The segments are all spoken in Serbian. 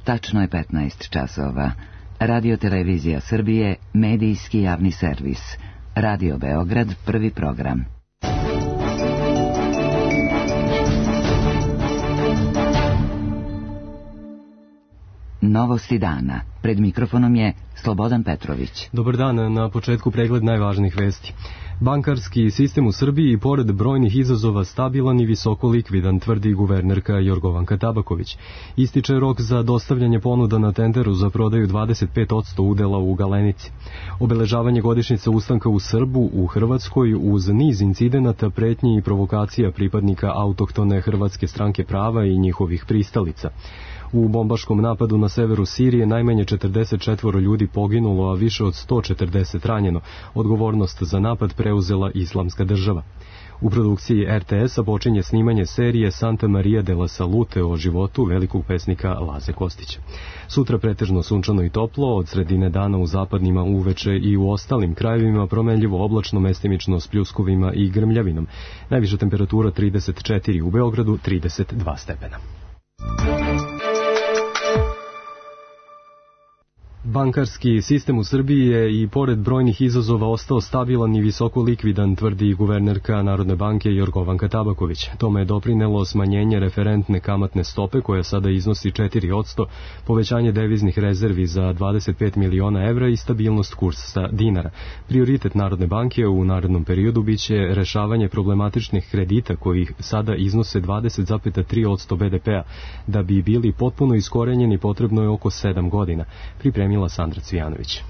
Tačno je 15 časova. Radio Televizija Srbije, medijski javni servis. Radio Beograd, prvi program. Novosti dana. Pred mikrofonom je Slobodan Petrović. Dobar dan, na početku pregled najvažnijih vesti. Bankarski sistem u Srbiji i pored brojnih izazova stabilan i visoko likvidan, tvrdi guvernerka Jorgovanka Tabaković. Ističe rok za dostavljanje ponuda na tenderu za prodaju 25% udela u Galenici. Obeležavanje godišnjice ustanka u Srbu u Hrvatskoj uz niz incidenata, pretnji i provokacija pripadnika autohtone Hrvatske stranke prava i njihovih pristalica. U bombaškom napadu na severu Sirije najmanje 44 ljudi poginulo, a više od 140 ranjeno. Odgovornost za napad preuzela Islamska država. U produkciji RTS-a počinje snimanje serije Santa Maria de la Salute o životu velikog pesnika Laze Kostića. Sutra pretežno sunčano i toplo, od sredine dana u zapadnima uveče i u ostalim krajevima promenljivo oblačno, mestimično s pljuskovima i grmljavinom. Najviša temperatura 34, u Beogradu 32 stepena. Bankarski sistem u Srbiji je i pored brojnih izazova ostao stabilan i visoko likvidan, tvrdi guvernerka Narodne banke Jorgovanka Tabaković. Tome je doprinelo smanjenje referentne kamatne stope koja sada iznosi 4%, povećanje deviznih rezervi za 25 miliona evra i stabilnost kursa dinara. Prioritet Narodne banke u narednom periodu biće rešavanje problematičnih kredita koji sada iznose 20,3% BDP-a. Da bi bili potpuno iskorenjeni potrebno je oko 7 godina. Pripremila Sandra Cvijanović.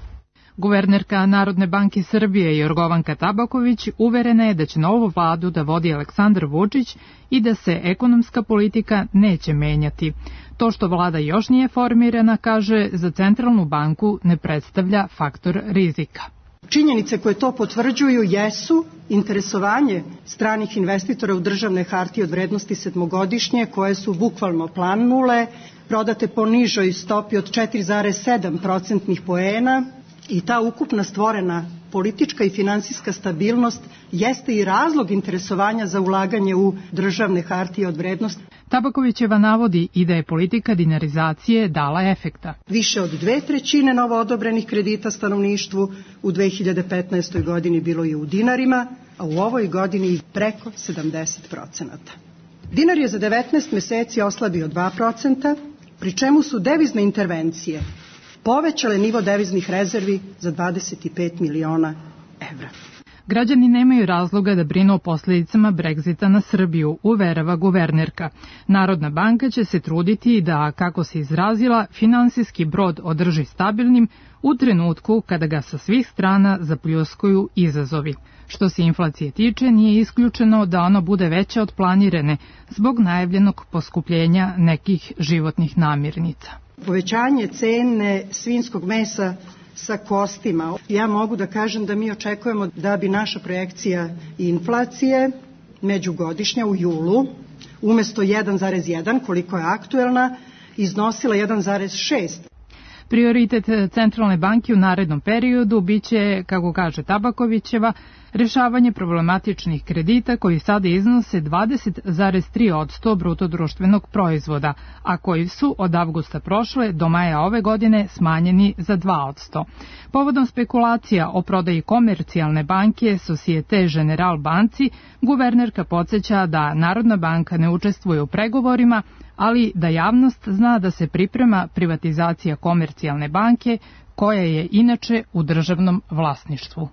Guvernerka Narodne banke Srbije Jorgovanka Tabaković uverena je da će novu vladu da vodi Aleksandar Vučić i da se ekonomska politika neće menjati. To što vlada još nije formirana, kaže, za centralnu banku ne predstavlja faktor rizika. Činjenice koje to potvrđuju jesu interesovanje stranih investitora u državne hartije od vrednosti sedmogodišnje, koje su bukvalno planule, prodate po nižoj stopi od 4,7% poena, i ta ukupna stvorena politička i finansijska stabilnost jeste i razlog interesovanja za ulaganje u državne hartije od vrednosti. Tabakovićeva navodi i da je politika dinarizacije dala efekta. Više od 2/3 novo odobrenih kredita stanovništvu u 2015. godini bilo je u dinarima, a u ovoj godini preko 70%. Dinar je za 19 meseci oslabio 2%, pri čemu su devizne intervencije povećale nivo deviznih rezervi za 25 miliona evra. Građani nemaju razloga da brinu o posljedicama Brexita na Srbiju, uverava guvernerka. Narodna banka će se truditi da, kako se izrazila, finansijski brod održi stabilnim u trenutku kada ga sa svih strana zapljuskuju izazovi. Što se inflacije tiče, nije isključeno da ona bude veća od planirane zbog najavljenog poskupljenja nekih životnih namirnica. Povećanje cene svinjskog mesa sa kostima. Ja mogu da kažem da mi očekujemo da bi naša projekcija inflacije međugodišnja u julu umesto 1,1, koliko je aktuelna, iznosila 1,6. Prioritet centralne banke u narednom periodu biće, kako kaže Tabakovićeva, rešavanje problematičnih kredita koji sada iznose 20,3% brutodruštvenog proizvoda, a koji su od avgusta prošle do maja ove godine smanjeni za 2%. Povodom spekulacija o prodaji komercijalne banke Societe Generale banci, guvernerka podsjeća da Narodna banka ne učestvuje u pregovorima, ali da javnost zna da se priprema privatizacija komercijalne banke, koja je inače u državnom vlasništvu.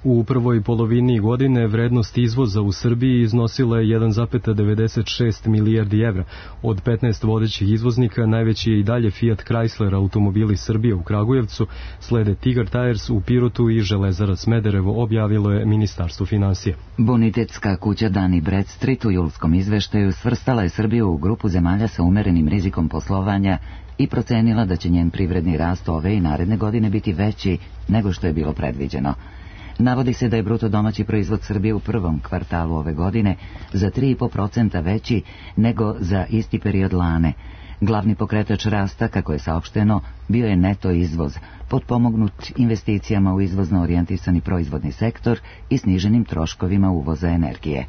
U prvoj polovini godine vrednost izvoza u Srbiji iznosila je 1,96 milijardi evra. Od 15 vodećih izvoznika najveći je i dalje Fiat Chrysler automobili Srbije u Kragujevcu, slede Tigar Tires u Pirotu i Železara Smederevo, objavilo je Ministarstvo finansija. Bonitetska kuća Dun & Bradstreet u julskom izveštaju svrstala je Srbiju u grupu zemalja sa umerenim rizikom poslovanja i procenila da će njen privredni rast ove i naredne godine biti veći nego što je bilo predviđeno. Navodi se da je bruto domaći proizvod Srbije u prvom kvartalu ove godine za 3,5% veći nego za isti period lane. Glavni pokretač rasta, kako je saopšteno, bio je neto izvoz, potpomognut investicijama u izvozno orijentisani proizvodni sektor i sniženim troškovima uvoza energije.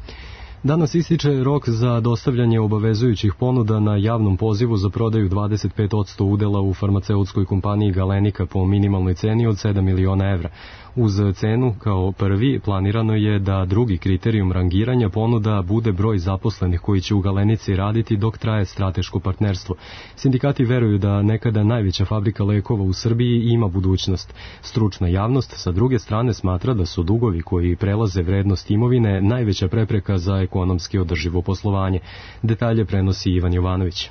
Danas ističe rok za dostavljanje obavezujućih ponuda na javnom pozivu za prodaju 25% udela u farmaceutskoj kompaniji Galenika po minimalnoj ceni od 7 miliona evra. Uz cenu kao prvi planirano je da drugi kriterijum rangiranja ponuda bude broj zaposlenih koji će u Galenici raditi dok traje strateško partnerstvo. Sindikati veruju da nekada najveća fabrika lekova u Srbiji ima budućnost. Stručna javnost sa druge strane smatra da su dugovi koji prelaze vrednost imovine najveća prepreka za ekonomski održivo poslovanje. Detalje prenosi Ivan Jovanović.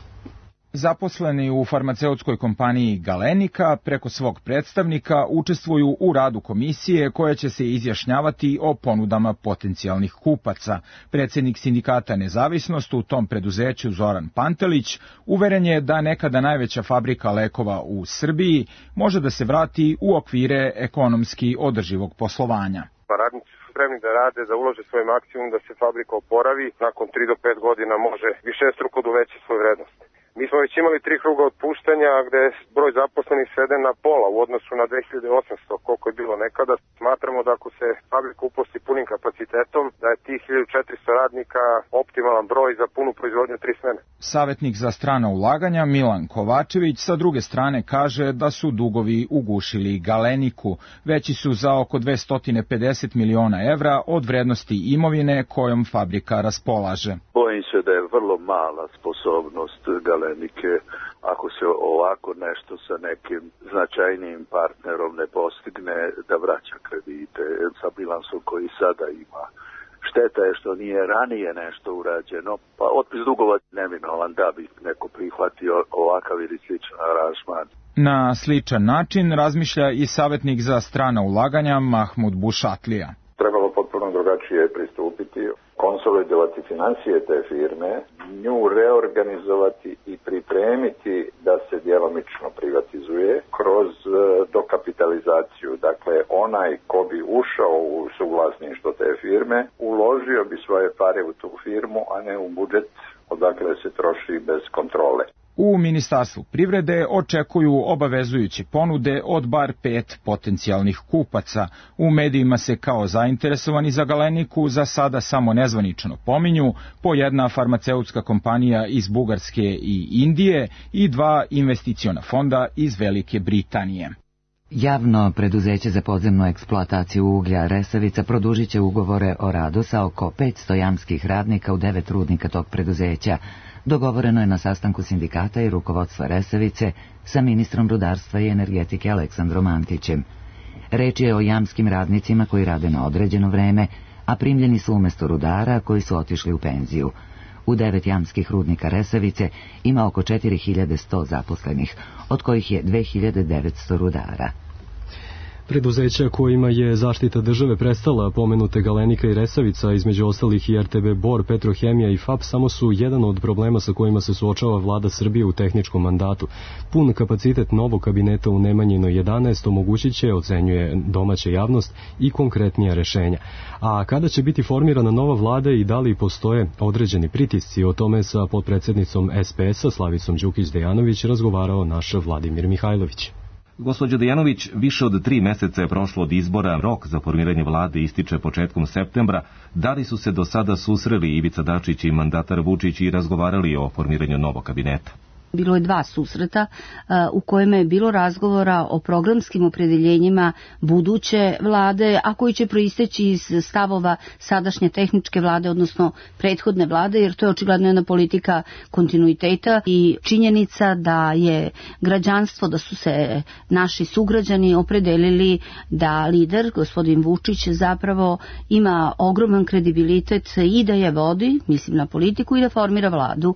Zaposleni u farmaceutskoj kompaniji Galenika preko svog predstavnika učestvuju u radu komisije koja će se izjašnjavati o ponudama potencijalnih kupaca. Predsjednik sindikata Nezavisnost u tom preduzeću Zoran Pantelić uveren je da nekada najveća fabrika lekova u Srbiji može da se vrati u okvire ekonomski održivog poslovanja. Radnici su spremni da rade, da ulože svoj maksimum, da se fabrika oporavi. Nakon 3 do 5 godina može višestruko da uveća svoju vrednost. Mi smo već imali 3 kruga otpuštanja gde broj zaposlenih sveden na pola u odnosu na 2800 koliko je bilo nekada. Smatramo da ako se fabrika uposli punim kapacitetom, da je tih 1400 radnika optimalan broj za punu proizvodnju 3 smene. Savjetnik za strana ulaganja Milan Kovačević sa druge strane kaže da su dugovi ugušili Galeniku. Veći su za oko 250 miliona evra od vrednosti imovine kojom fabrika raspolaže. Bojim se da je vrlo mala sposobnost Galenike, ako se ovako nešto sa nekim značajnijim partnerom ne postigne, da vraća kredite sa bilansom koji sada ima. Šteta je što nije ranije nešto urađeno, pa otpis dugova neminovan da bi neko prihvatio ovakav ili sličan aranžman. Na sličan način razmišlja i savjetnik za strana ulaganja Mahmud Bušatlija. Trebalo potpuno drugačije pristupiti, konsolidovati financije te firme, nju reorganizovati i pripremiti da se djelomično privatizuje kroz dokapitalizaciju. Dakle, onaj ko bi ušao u suvlasništvo te firme, uložio bi svoje pare u tu firmu, a ne u budžet odakle se troši bez kontrole. U Ministarstvu privrede očekuju obavezujuće ponude od bar 5 potencijalnih kupaca. U medijima se kao zainteresovani za Galeniku za sada samo nezvanično pominju po jedna farmaceutska kompanija iz Bugarske i Indije i 2 investiciona fonda iz Velike Britanije. Javno preduzeće za podzemnu eksploataciju uglja Resavica produžit će ugovore o radu sa oko 500 jamskih radnika u 9 rudnika tog preduzeća. Dogovoreno je na sastanku sindikata i rukovodstva Resavice sa ministrom rudarstva i energetike Aleksandrom Antićem. Reč je o jamskim radnicima koji rade na određeno vreme, a primljeni su umjesto rudara koji su otišli u penziju. U 9 jamskih rudnika Resavice ima oko 4100 zaposlenih, od kojih je 2900 rudara. Preduzeća kojima je zaštita države prestala, pomenute Galenika i Resavica, između ostalih i RTB Bor, Petrohemija i FAP, samo su jedan od problema sa kojima se suočava vlada Srbije u tehničkom mandatu. Pun kapacitet novog kabineta u Nemanjinoj 11 omogućit će, ocenjuje domaća javnost, i konkretnija rešenja. A kada će biti formirana nova vlada i da li postoje određeni pritisci, o tome sa potpredsednicom SPS-a Slavicom Đukić-Dejanović razgovarao naš Vladimir Mihajlović. Gospođo Dejanović, više od 3 meseca je prošlo od izbora, rok za formiranje vlade ističe početkom septembra. Da li su se do sada susreli Ivica Dačić i mandatar Vučić i razgovarali o formiranju novog kabineta? Bilo je 2 susreta u kojima je bilo razgovora o programskim opredeljenjima buduće vlade, a koji će proisteći iz stavova sadašnje tehničke vlade, odnosno prethodne vlade, jer to je očigledno jedna politika kontinuiteta i činjenica da je građanstvo, da su se naši sugrađani opredelili da lider, gospodin Vučić, zapravo ima ogroman kredibilitet i da je vodi, mislim na politiku, i da formira vladu.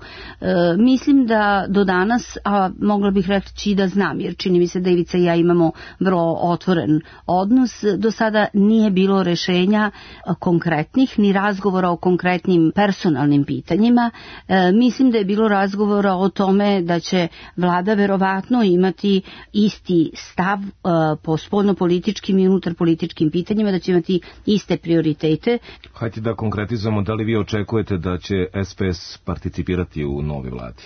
Mislim da do danas, a mogla bih reći da znam, jer čini mi se da Ivica i ja imamo vrlo otvoren odnos, do sada nije bilo rešenja konkretnih, ni razgovora o konkretnim personalnim pitanjima. Mislim da je bilo razgovora o tome da će vlada verovatno imati isti stav po spoljnopolitičkim i unutarpolitičkim pitanjima, da će imati iste prioritete. Hajde da konkretizujemo, da li vi očekujete da će SPS participirati u novoj vladi?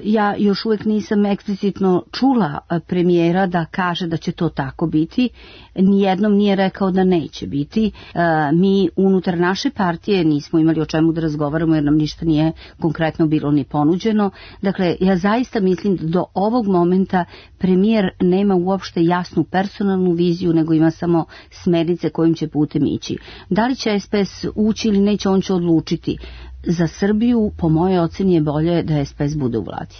Ja još uvijek nisam eksplicitno čula premijera da kaže da će to tako biti. Nijednom nije rekao da neće biti. Mi unutar naše partije nismo imali o čemu da razgovaramo jer nam ništa nije konkretno bilo ni ponuđeno. Dakle, ja zaista mislim da do ovog momenta premijer nema uopšte jasnu personalnu viziju, nego ima samo smernice kojim će putem ići. Da li će SPS ući ili neće, on će odlučiti. Za Srbiju, po mojoj oceni, je bolje da SPS bude u vladi.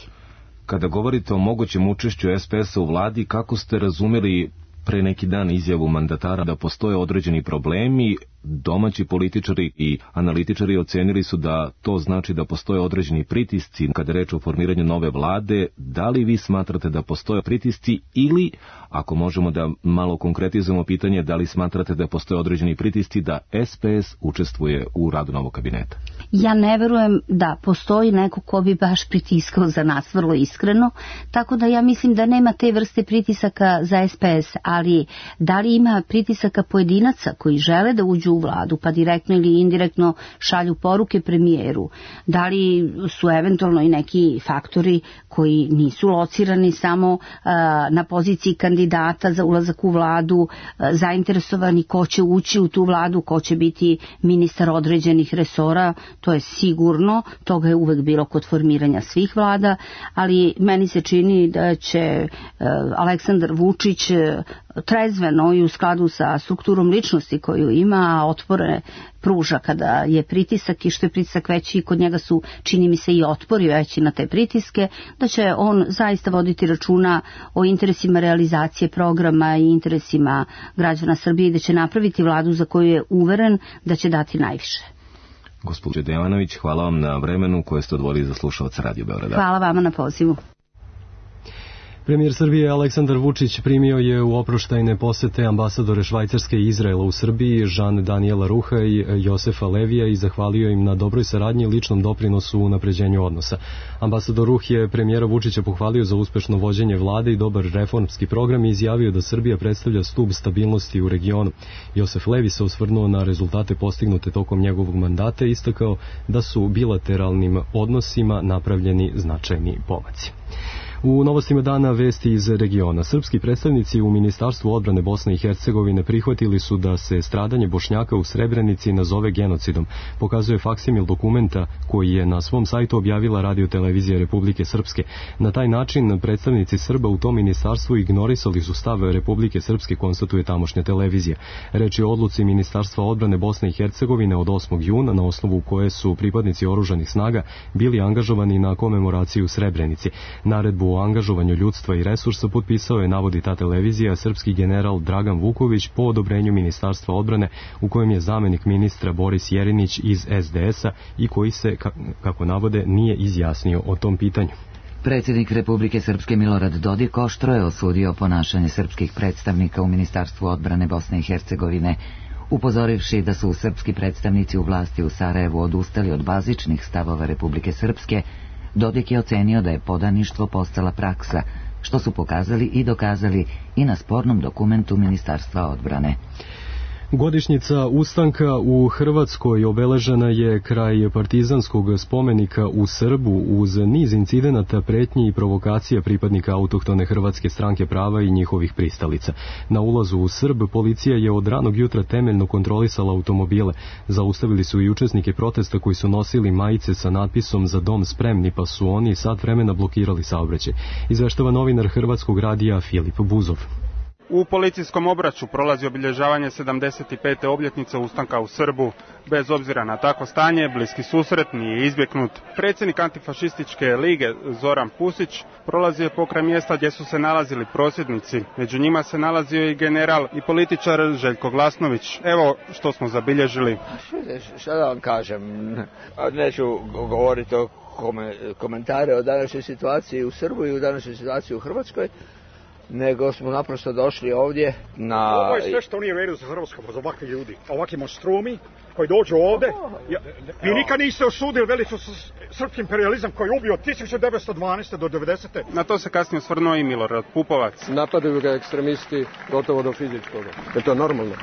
Kada govorite o mogućem učešću SPS-a u vladi, kako ste razumeli pre neki dan izjavu mandatara da postoje određeni problemi? Domaći političari i analitičari ocenili su da to znači da postoje određeni pritisci kada je reč o formiranju nove vlade. Da li vi smatrate da postoje pritisci ili, ako možemo da malo konkretizujemo pitanje, da li smatrate da postoje određeni pritisci da SPS učestvuje u radu novog kabineta? Ja ne verujem da postoji neko ko bi baš pritiskao za nas, vrlo iskreno, tako da ja mislim da nema te vrste pritisaka za SPS, ali da li ima pritisaka pojedinaca koji žele da uđu u vladu, pa direktno ili indirektno šalju poruke premijeru, da li su eventualno i neki faktori koji nisu locirani samo na poziciji kandidata za ulazak u vladu, zainteresovani ko će ući u tu vladu, ko će biti ministar određenih resora, to je sigurno, toga je uvek bilo kod formiranja svih vlada, ali meni se čini da će Aleksandar Vučić trezveno i u skladu sa strukturom ličnosti koju ima, otpore pruža kada je pritisak i što je pritisak veći, kod njega su, čini mi se, i otpori veći na te pritiske, da će on zaista voditi računa o interesima realizacije programa i interesima građana Srbije i da će napraviti vladu za koju je uveren da će dati najviše. Gospođo Devanović, hvala vam na vremenu koje ste odvojili za slušalaca Radio Beograda. Hvala vama na pozivu. Premijer Srbije Aleksandar Vučić primio je u oproštajne posete ambasadore Švajcarske i Izraela u Srbiji, Jean Daniela Ruha i Josefa Levija, i zahvalio im na dobroj saradnji i ličnom doprinosu u unapređenju odnosa. Ambasador Ruh je premijera Vučića pohvalio za uspešno vođenje vlade i dobar reformski program i izjavio da Srbija predstavlja stub stabilnosti u regionu. Josef Levi se osvrnuo na rezultate postignute tokom njegovog mandata i istakao da su bilateralnim odnosima napravljeni značajni pomaci. U novostima dana vesti iz regiona. Srpski predstavnici u Ministarstvu odbrane Bosne i Hercegovine prihvatili su da se stradanje Bošnjaka u Srebrenici nazove genocidom, pokazuje faksimil dokumenta koji je na svom sajtu objavila Radio-televizija Republike Srpske. Na taj način predstavnici Srba u tom ministarstvu ignorisali su stav Republike Srpske, konstatuje tamošnja televizija. Reč je o odluci Ministarstva odbrane Bosne i Hercegovine od 8. juna, na osnovu koje su pripadnici oružanih snaga bili angažovani na komemoraciju u Srebrenici. Naredbu o angažovanju ljudstva i resursa potpisao je, navodi ta televizija, srpski general Dragan Vuković po odobrenju Ministarstva odbrane, u kojem je zamenik ministra Boris Jerinić iz SDS-a i koji se, kako navode, nije izjasnio o tom pitanju. Predsjednik Republike Srpske Milorad Dodik oštro je osudio ponašanje srpskih predstavnika u Ministarstvu odbrane Bosne i Hercegovine, upozorivši da su srpski predstavnici u vlasti u Sarajevu odustali od bazičnih stavova Republike Srpske. Dodik je ocenio da je podaništvo postala praksa, što su pokazali i dokazali i na spornom dokumentu Ministarstva odbrane. Godišnjica ustanka u Hrvatskoj obeležena je kraj partizanskog spomenika u Srbu uz niz incidenata, pretnji i provokacija pripadnika autohtone Hrvatske stranke prava i njihovih pristalica. Na ulazu u Srb policija je od ranog jutra temeljno kontrolisala automobile. Zaustavili su i učesnike protesta koji su nosili majice sa natpisom "Za dom spremni", pa su oni sat vremena blokirali saobraćaj. Izveštava novinar Hrvatskog radija Filip Buzov. U policijskom obraću prolazi obilježavanje 75. obljetnice ustanka u Srbu. Bez obzira na takvo stanje, bliski susret nije izbjegnut. Predsjednik antifašističke lige Zoran Pusić prolazio je pokraj mjesta gdje su se nalazili prosvjednici. Među njima se nalazio i general i političar Željko Glasnović. Evo što smo zabilježili. Šta da vam kažem? Neću govoriti o komentare o današnjoj situaciji u Srbu i o današnjoj situaciji u Hrvatskoj, nego smo naprosto došli ovdje na... Ovo je sve što nije u redu za Hrvatskom, za ovakvi ljudi, ovakvi monstrumi koji dođu ovdje. Vi nikad niste osudili veliki srpski imperializam koji je ubio od 1912. do 90. Na to se kasnije osvrnuo i Milorad Pupovac. Napadaju ga ekstremisti gotovo do fizičkoga. Je to normalno?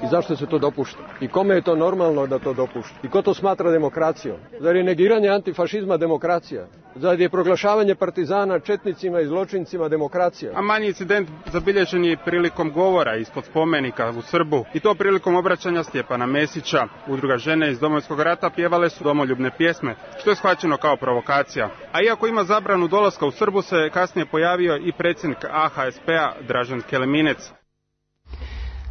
I zašto se to dopušta? I kome je to normalno da to dopušta? I ko to smatra demokracijom? Zar je negiranje antifašizma demokracija? Zar je proglašavanje partizana četnicima i zločincima demokracija? A manji incident zabilježen je prilikom govora ispod spomenika u Srbu i to prilikom obraćanja Stjepana Mesića. Udruga žene iz Domovinskog rata pjevale su domoljubne pjesme, što je shvaćeno kao provokacija. A iako ima zabranu dolaska u Srbu, se kasnije pojavio i predsjednik AHSP-a Dražen Keleminec.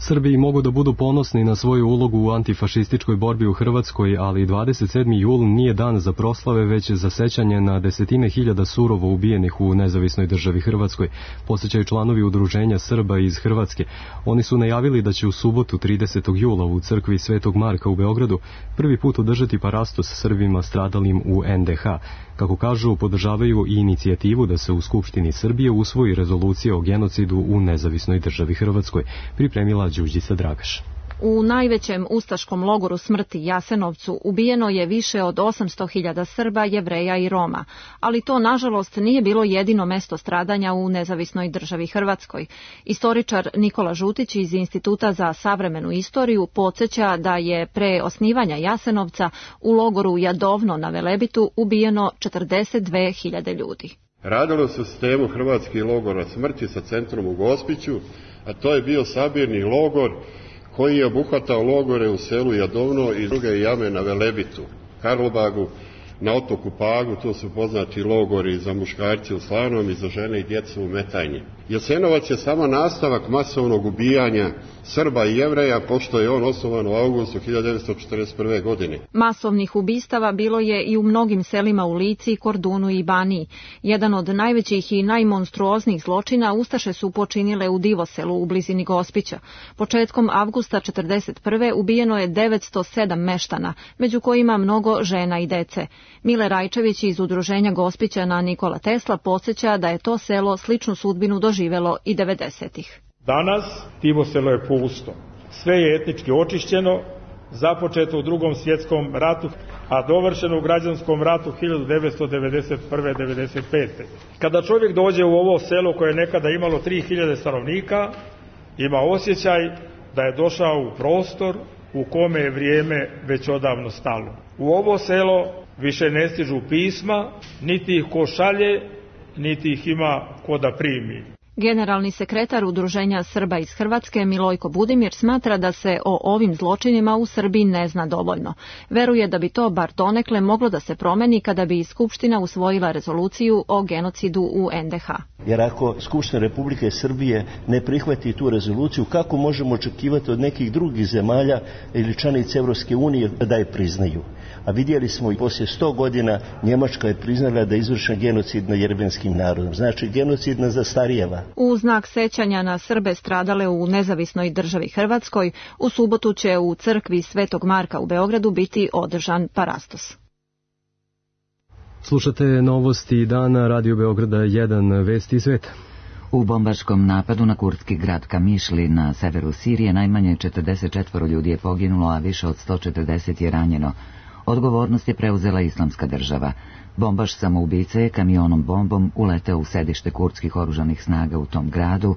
Srbiji mogu da budu ponosni na svoju ulogu u antifašističkoj borbi u Hrvatskoj, ali 27. jul nije dan za proslave, već za sećanje na desetine hiljada surovo ubijenih u nezavisnoj državi Hrvatskoj, podsjećaju članovi Udruženja Srba iz Hrvatske. Oni su najavili da će u subotu 30. jula u crkvi Svetog Marka u Beogradu prvi put održati parastos Srbima stradalim u NDH. Kako kažu, podržavaju i inicijativu da se u Skupštini Srbije usvoji rezolucija o genocidu u nezavisnoj državi Hrvatskoj, pripremila Đurđica Dragaš. U najvećem ustaškom logoru smrti Jasenovcu ubijeno je više od 800.000 Srba, Jevreja i Roma, ali to nažalost nije bilo jedino mesto stradanja u nezavisnoj državi Hrvatskoj. Istoričar Nikola Žutić iz Instituta za savremenu istoriju podsjeća da je pre osnivanja Jasenovca u logoru Jadovno na Velebitu ubijeno 42.000 ljudi. Radilo se u sistemu hrvatskih logora smrti sa centrom u Gospiću, a to je bio sabirni logor koji je obuhvatao logore u selu Jadovno i druge jame na Velebitu, Karlobagu, na otoku Pagu, to su poznati logori za muškarce u Slanom i za žene i djecu u Metajnji. Jasenovac je samo nastavak masovnog ubijanja Srba i Jevreja, pošto je on osnovan u avgustu 1941. godine. Masovnih ubistava bilo je i u mnogim selima u Lici, Kordunu i Baniji. Jedan od najvećih i najmonstruoznijih zločina ustaše su počinile u Divoselu u blizini Gospića. Početkom avgusta 1941. ubijeno je 907 meštana, među kojima mnogo žena i dece. Mile Rajčević iz Udruženja Gospićana Nikola Tesla podsjeća da je to selo sličnu sudbinu doživelo i 90-ih. Danas Divoselo je pusto. Sve je etnički očišćeno, započeto u Drugom svjetskom ratu, a dovršeno u građanskom ratu 1991-1995. Kada čovjek dođe u ovo selo koje je nekada imalo 3000 stanovnika, ima osjećaj da je došao u prostor u kome je vrijeme već odavno stalo. U ovo selo više ne stižu pisma, niti ih ko šalje, niti ih ima ko da primi. Generalni sekretar Udruženja Srba iz Hrvatske Milojko Budimir smatra da se o ovim zločinima u Srbiji ne zna dovoljno. Veruje da bi to bar donekle moglo da se promeni kada bi Skupština usvojila rezoluciju o genocidu u NDH. Jer ako Skupština Republike Srbije ne prihvati tu rezoluciju, kako možemo očekivati od nekih drugih zemalja ili članica Evropske unije da je priznaju? A vidjeli smo i poslije 100 godina Njemačka je priznala da je izvršen genocid nad jermenskim narodom. Znači genocid ne zastarijeva. U znak sećanja na Srbe stradale u nezavisnoj državi Hrvatskoj, u subotu će u crkvi Svetog Marka u Beogradu biti održan parastos. Slušate novosti dana Radio Beograda 1, vesti iz sveta. U bombaškom napadu na kurdski grad Kamišli na severu Sirije najmanje 44 ljudi je poginulo, a više od 140 je ranjeno. Odgovornost je preuzela Islamska država. Bombaš samoubice je kamionom bombom uleteo u sedište kurdskih oružanih snaga u tom gradu,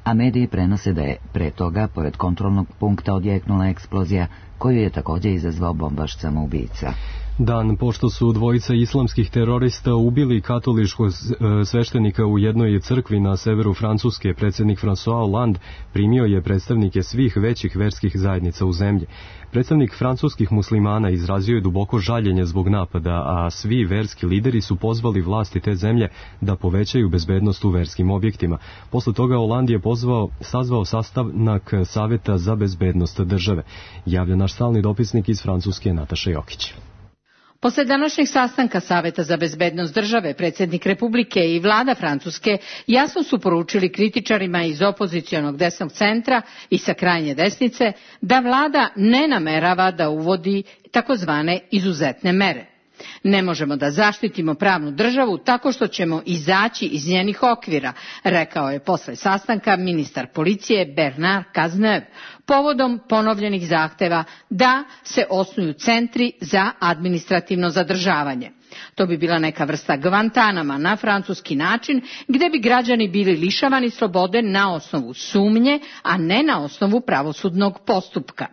a mediji prenose da je pre toga, pored kontrolnog punkta, odjeknula eksplozija koju je također izazvao bombaš samoubica. Dan pošto su dvojica islamskih terorista ubili katoličkog sveštenika u jednoj crkvi na severu Francuske, predsjednik François Hollande primio je predstavnike svih većih verskih zajednica u zemlji. Predstavnik francuskih muslimana izrazio je duboko žaljenje zbog napada, a svi verski lideri su pozvali vlasti te zemlje da povećaju bezbednost u verskim objektima. Posle toga Hollande je sazvao sastanak Saveta za bezbednost države. Javlja naš stalni dopisnik iz Francuske Nataša Jokić. Posle današnjeg sastanka Saveta za bezbednost države, predsjednik Republike i vlada Francuske jasno su poručili kritičarima iz opozicionog desnog centra i sa krajnje desnice da vlada ne namerava da uvodi takozvane izuzetne mere. Ne možemo da zaštitimo pravnu državu tako što ćemo izaći iz njenih okvira, rekao je posle sastanka ministar policije Bernard Cazeneuve, povodom ponovljenih zahteva da se osnuju centri za administrativno zadržavanje. To bi bila neka vrsta Guantanama na francuski način, gde bi građani bili lišavani slobode na osnovu sumnje, a ne na osnovu pravosudnog postupka.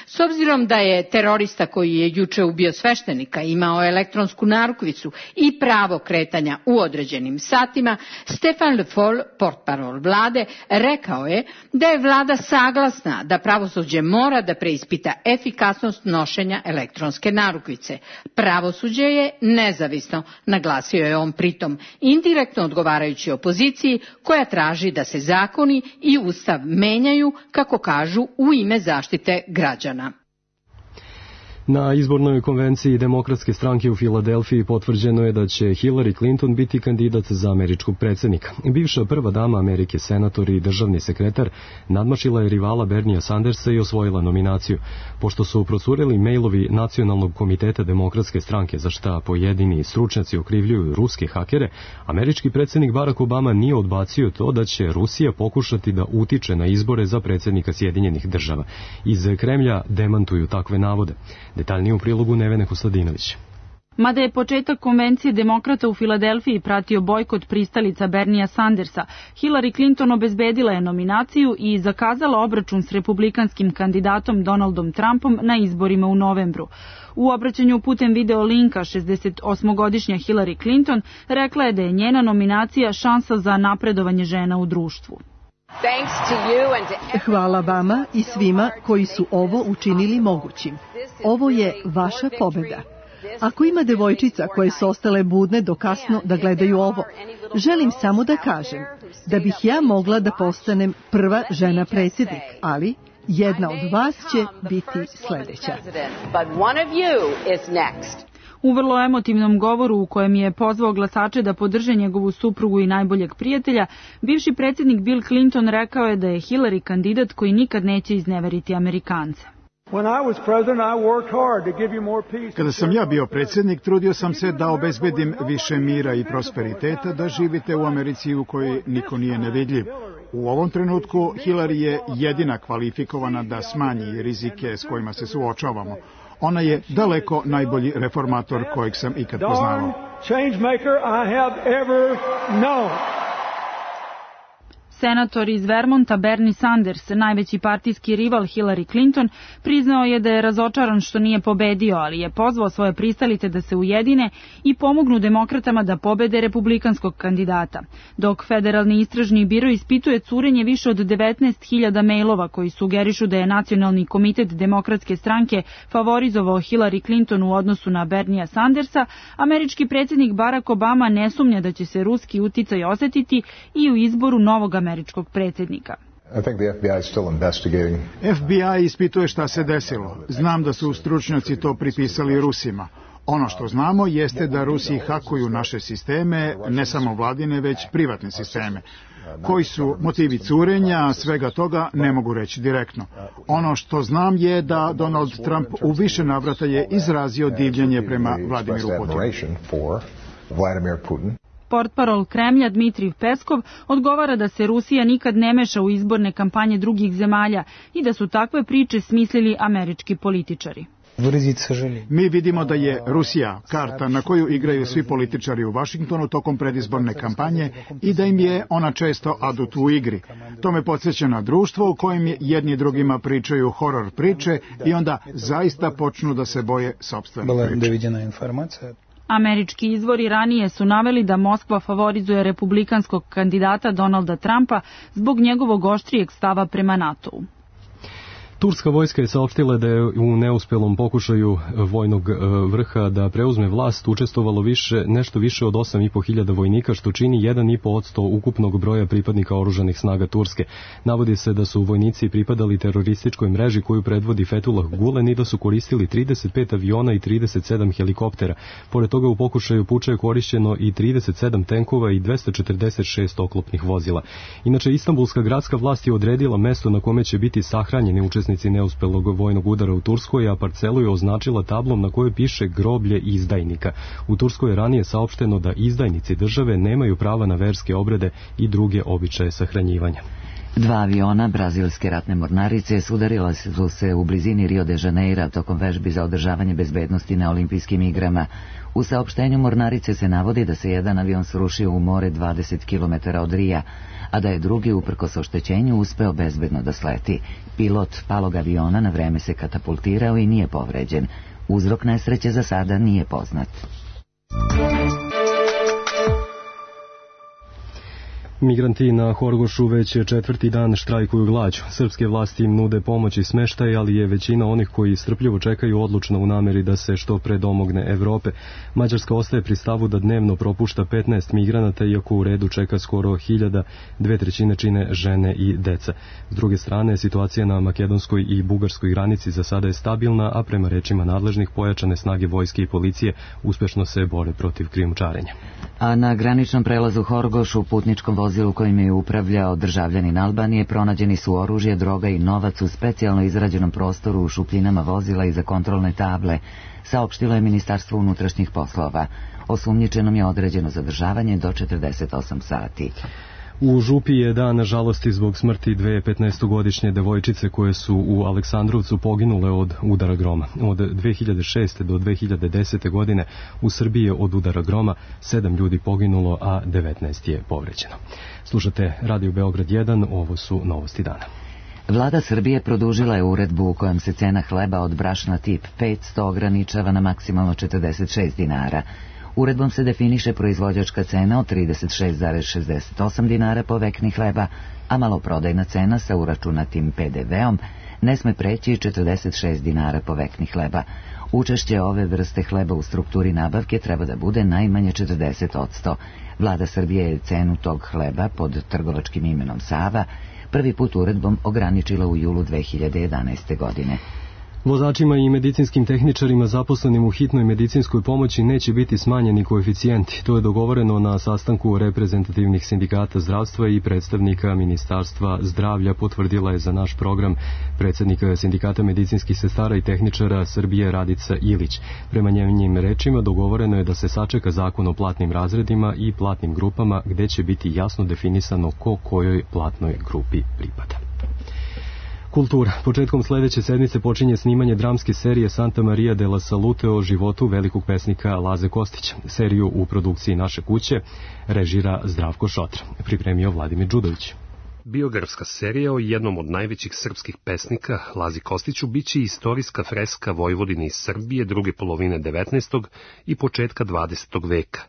S obzirom da je terorista koji je juče ubio sveštenika imao elektronsku narukvicu i pravo kretanja u određenim satima, Stéphane Le Foll, portparol vlade, rekao je da je vlada saglasna da pravosuđe mora da preispita efikasnost nošenja elektronske narukvice. Pravosuđe je nezavisno, naglasio je on pritom, indirektno odgovarajući opoziciji koja traži da se zakoni i ustav menjaju, kako kažu, u ime zaštite građana. Na izbornoj konvenciji Demokratske stranke u Filadelfiji potvrđeno je da će Hillary Clinton biti kandidat za američkog predsjednika. Bivša prva dama Amerike, senator i državni sekretar, nadmašila je rivala Bernija Sandersa i osvojila nominaciju. Pošto su procureli mailovi Nacionalnog komiteta Demokratske stranke, za šta pojedini stručnjaci okrivljuju ruske hakere, američki predsjednik Barack Obama nije odbacio to da će Rusija pokušati da utiče na izbore za predsjednika Sjedinjenih država. Iz Kremlja demantuju takve navode. Detaljnije u prilogu Nevene Kostadinović. Mada je početak konvencije demokrata u Filadelfiji pratio bojkot pristalica Bernija Sandersa, Hillary Clinton obezbedila je nominaciju i zakazala obračun s republikanskim kandidatom Donaldom Trumpom na izborima u novembru. U obraćanju putem video linka 68-godišnja Hillary Clinton rekla je da je njena nominacija šansa za napredovanje žena u društvu. Hvala vama i svima koji su ovo učinili mogućim. Ovo je vaša pobjeda. Ako ima devojčica koje su ostale budne do kasno da gledaju ovo, želim samo da kažem da bih ja mogla da postanem prva žena predsjednik, ali jedna od vas će biti sljedeća. U vrlo emotivnom govoru u kojem je pozvao glasače da podrže njegovu suprugu i najboljeg prijatelja, bivši predsjednik Bill Clinton rekao je da je Hillary kandidat koji nikad neće izneveriti Amerikance. Kada sam ja bio predsjednik, trudio sam se da obezbedim više mira i prosperiteta, da živite u Americi u kojoj niko nije nevidljiv. U ovom trenutku Hillary je jedina kvalifikovana da smanji rizike s kojima se suočavamo. Ona je daleko najbolji reformator kojeg sam ikad poznavao. Senator iz Vermonta Bernie Sanders, najveći partijski rival Hillary Clinton, priznao je da je razočaran što nije pobedio, ali je pozvao svoje pristalice da se ujedine i pomognu demokratama da pobede republikanskog kandidata. Dok Federalni istražni biro ispituje curenje više od 19.000 mailova koji sugerišu da je Nacionalni komitet Demokratske stranke favorizovao Hillary Clinton u odnosu na Bernija Sandersa, američki predsjednik Barack Obama ne sumnja da će se ruski uticaj osetiti i u izboru novog američkog predsjednika. FBI ispituje šta se desilo. Znam da su stručnjaci to pripisali Rusima. Ono što znamo jeste da Rusi hakuju naše sisteme, ne samo vladine, već privatne sisteme. Koji su motivi curenja, svega toga ne mogu reći direktno. Ono što znam je da Donald Trump u više navrata je izrazio divljenje prema Vladimiru Putinu. Portparol Kremlja Dmitrij Peskov odgovara da se Rusija nikad ne meša u izborne kampanje drugih zemalja i da su takve priče smislili američki političari. Mi vidimo da je Rusija karta na koju igraju svi političari u Vašingtonu tokom predizborne kampanje i da im je ona često adut u igri. To me podsjeća na društvo u kojem jedni drugima pričaju horor priče i onda zaista počnu da se boje sopstvene priče. Američki izvori ranije su naveli da Moskva favorizuje republikanskog kandidata Donalda Trumpa zbog njegovog oštrijeg stava prema NATO-u. Turska vojska je saopštila da je u neuspelom pokušaju vojnog vrha da preuzme vlast učestvovalo nešto više od 8.500 vojnika, što čini 1,5% ukupnog broja pripadnika oružanih snaga Turske. Navodi se da su vojnici pripadali terorističkoj mreži koju predvodi Fethullah Gulen i da su koristili 35 aviona i 37 helikoptera. Pored toga u pokušaju puča je korišćeno i 37 tenkova i 246 oklopnih vozila. Inače, Istanbulska gradska vlast je odredila mesto na kome će biti sahranjeni učesnici neuspelog vojnog udara u Turskoj, a parcelu je označila tablom na kojoj piše groblje izdajnika. U Turskoj je ranije saopšteno da izdajnici države nemaju prava na verske obrede i druge običaje sahranjivanja. 2 aviona brazilske ratne mornarice sudarila su se u blizini Rio de Janeira tokom vežbi za održavanje bezbednosti na olimpijskim igrama. U saopštenju mornarice se navodi da se jedan avion srušio u more 20 km od Rija, a da je drugi, uprkos oštećenju, uspeo bezbedno da sleti. Pilot palog aviona na vreme se katapultirao i nije povređen. Uzrok nesreće za sada nije poznat. Migranti na Horgošu već 4. dan štrajkuju glađu. Srpske vlasti im nude pomoć i smeštaj, ali je većina onih koji strpljivo čekaju odlučna u nameri da se što pre domogne Evrope. Mađarska ostaje pri stavu da dnevno propušta 15 migranata, iako u redu čeka skoro 1000, 2/3 čine žene i deca. S druge strane, situacija na makedonskoj i bugarskoj granici za sada je stabilna, a prema rečima nadležnih pojačane snage vojske i policije uspešno se bore protiv krijumčarenja. A na graničnom prelazu Horgoš u putničkom vozilu kojim je upravljao državljanin Albanije pronađeni su oružje, droga i novac u specijalno izrađenom prostoru u šupljinama vozila iza kontrolne table, saopštilo je Ministarstvo unutrašnjih poslova. Osumnjičenom je određeno zadržavanje do 48 sati. U Župi je dan žalosti zbog smrti dve 15-godišnje devojčice koje su u Aleksandrovcu poginule od udara groma. Od 2006. do 2010. godine u Srbiji je od udara groma 7 ljudi poginulo, a 19 je povređeno. Slušate Radio Beograd 1, ovo su novosti dana. Vlada Srbije produžila je uredbu u kojom se cena hleba od brašna tip 500 ograničava na maksimalno 46 dinara. Uredbom se definiše proizvođačka cena od 36,68 dinara po vekni hleba, a maloprodajna cena sa uračunatim PDV-om ne sme preći 46 dinara po vekni hleba. Učešće ove vrste hleba u strukturi nabavke treba da bude najmanje 40%. Vlada Srbije je cenu tog hleba pod trgovačkim imenom Sava prvi put uredbom ograničila u julu 2011. godine. Vozačima i medicinskim tehničarima zaposlenim u hitnoj medicinskoj pomoći neće biti smanjeni koeficijenti. To je dogovoreno na sastanku reprezentativnih sindikata zdravstva i predstavnika Ministarstva zdravlja, potvrdila je za naš program predsjednika sindikata medicinskih sestara i tehničara Srbije Radica Ilić. Prema njenim rečima dogovoreno je da se sačeka zakon o platnim razredima i platnim grupama, gde će biti jasno definisano ko kojoj platnoj grupi pripada. Kultura. Početkom sledeće sedmice počinje snimanje dramske serije Santa Maria della Salute o životu velikog pesnika Laze Kostića. Seriju u produkciji Naše kuće režira Zdravko Šotra. Pripremio Vladimir Đudović. Biografska serija o jednom od najvećih srpskih pesnika, Lazi Kostiću, biće istorijska freska Vojvodine iz Srbije druge polovine 19. i početka 20. veka.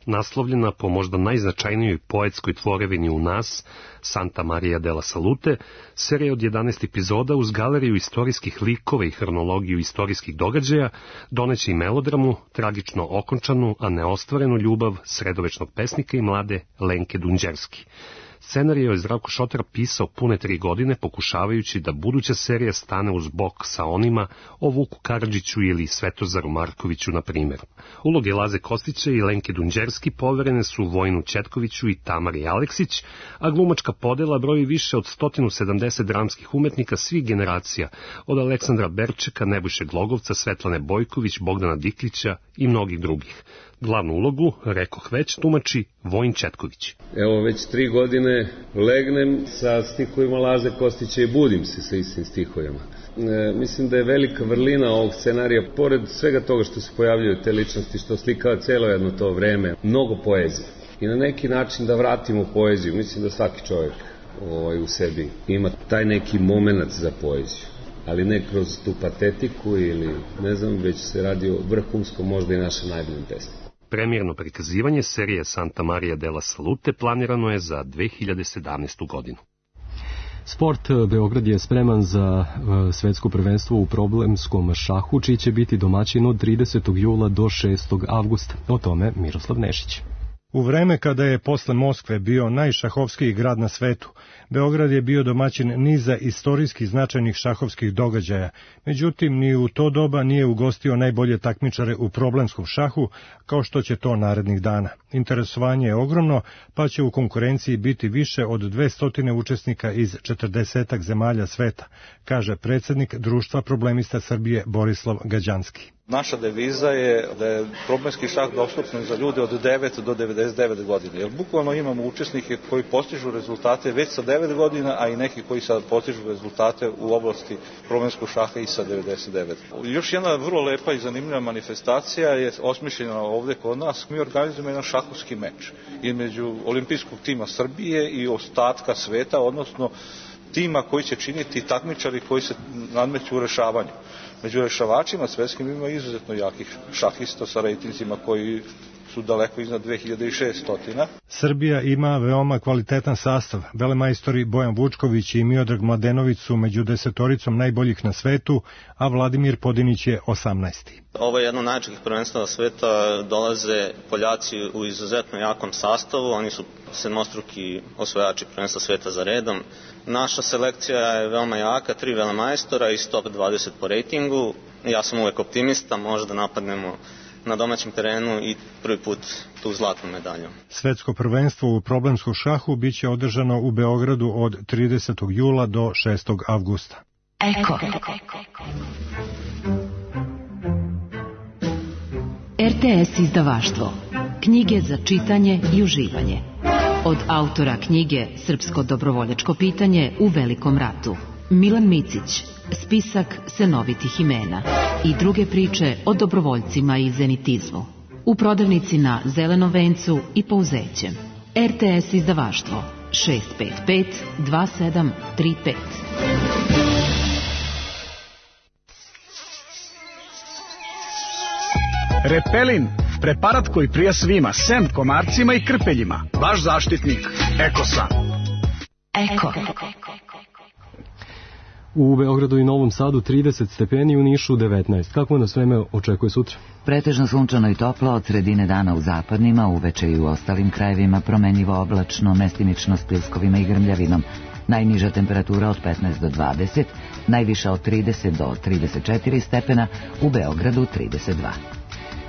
Naslovljena po možda najznačajnijoj poetskoj tvorevini u nas, Santa Maria della Salute, serija od 11 epizoda uz galeriju istorijskih likova i hronologiju istorijskih događaja doneće i melodramu, tragično okončanu, a neostvarenu ljubav sredovečnog pesnika i mlade Lenke Dunđerski. Scenarij je Zdravko Šotar pisao pune 3 godine, pokušavajući da buduća serija stane uz bok sa onima o Vuku Karadžiću ili Svetozaru Markoviću, na primjer. Uloge Laze Kostića i Lenke Dunđerski poverene su Vojinu Četkoviću i Tamari Aleksić, a glumačka podela broji više od 170 dramskih umetnika svih generacija, od Aleksandra Berčeka, Nebojše Glogovca, Svetlane Bojković, Bogdana Diklića i mnogih drugih. Glavnu ulogu, rekoh već, tumači Vojin Četković. Evo, već 3 godine legnem sa stihovima Laze Kostića i budim se sa istim stihovima. Mislim da je velika vrlina ovog scenarija, pored svega toga što se pojavljaju te ličnosti, što slikava celo jedno to vreme, mnogo poezije. I na neki način da vratimo poeziju. Mislim da svaki čovjek u sebi ima taj neki moment za poeziju. Ali ne kroz tu patetiku ili ne znam, već se radi o vrhunskom, možda i našem najboljim pesmu. Premijerno prikazivanje serije Santa Maria della Salute planirano je za 2017. godinu. Sport. Beograd je spreman za svetsko prvenstvo u problemskom šahu, čiji će biti domaćin od 30. jula do 6. avgusta. O tome Miroslav Nešić. U vreme kada je posle Moskve bio najšahovskiji grad na svetu, Beograd je bio domaćin niza istorijskih značajnih šahovskih događaja, međutim ni u to doba nije ugostio najbolje takmičare u problemskom šahu, kao što će to narednih dana. Interesovanje je ogromno, pa će u konkurenciji biti više od 200 učesnika iz 40 zemalja sveta, kaže predsjednik Društva problemista Srbije Borislav Gađanski. Naša deviza je da je problemski šah dostupan za ljude od 9 do 99 godina, jer bukvalno imamo učesnike koji postižu rezultate već sa 9 godina, a i neki koji sad postižu rezultate u oblasti problemskog šaha i sa 99. Još jedna vrlo lepa i zanimljiva manifestacija je osmišljena ovde kod nas. Mi organizujemo jedan šahovski meč između olimpijskog tima Srbije i ostatka sveta, odnosno tima koji će činiti takmičari koji se nadmeću u rešavanju. Među rešavačima svetskim ima izuzetno jakih šahista sa rejtinzima koji su daleko iznad 2600. Srbija ima veoma kvalitetan sastav. Velemajstori Bojan Vučković i Miodrag Mladenović su među 10 najboljih na svetu, a Vladimir Podinić je 18. Ovo je jedno od najjačih prvenstava sveta, dolaze Poljaci u izuzetno jakom sastavu, oni su sedmostruki osvajači prvenstva sveta za redom. Naša selekcija je veoma jaka, 3 velemajstora iz top 20 po rejtingu. Ja sam uvek optimista, možda napadnemo na domaćem terenu i prvi put tu zlatnu medalju. Svetsko prvenstvo u problemskom šahu biće održano u Beogradu od 30. jula do 6. avgusta. Eko. RTS izdavaštvo. Knjige za čitanje i uživanje. Od autora knjige Srpsko dobrovoljačko pitanje u Velikom ratu. Milan Micić, spisak senovitih imena i druge priče o dobrovoljcima i zenitizmu. U prodavnici na Zelenom vencu i Pouzećem. RTS izdavaštvo 655 2735. Repelin, preparat koji prija svima, sem komarcima i krpeljima. Vaš zaštitnik, Ekosan. Eko. U Beogradu i Novom Sadu 30 stepeni, u Nišu 19. Kako nas vreme očekuje sutra? Pretežno sunčano i toplo, od sredine dana u zapadnima, uveče i u ostalim krajevima promenljivo oblačno, mestimično s pljuskovima i grmljavinom. Najniža temperatura od 15 do 20, najviša od 30 do 34 stepena, u Beogradu 32.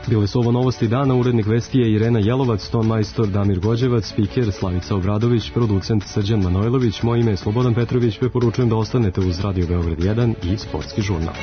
Bile su ovo novosti dana, urednik vesti je Irena Jelovac, ton majstor Damir Gođevac, spiker Slavica Obradović, producent Srđan Manojlović, moje ime je Slobodan Petrović, preporučujem da ostanete uz Radio Beograd 1 i Sportski žurnal.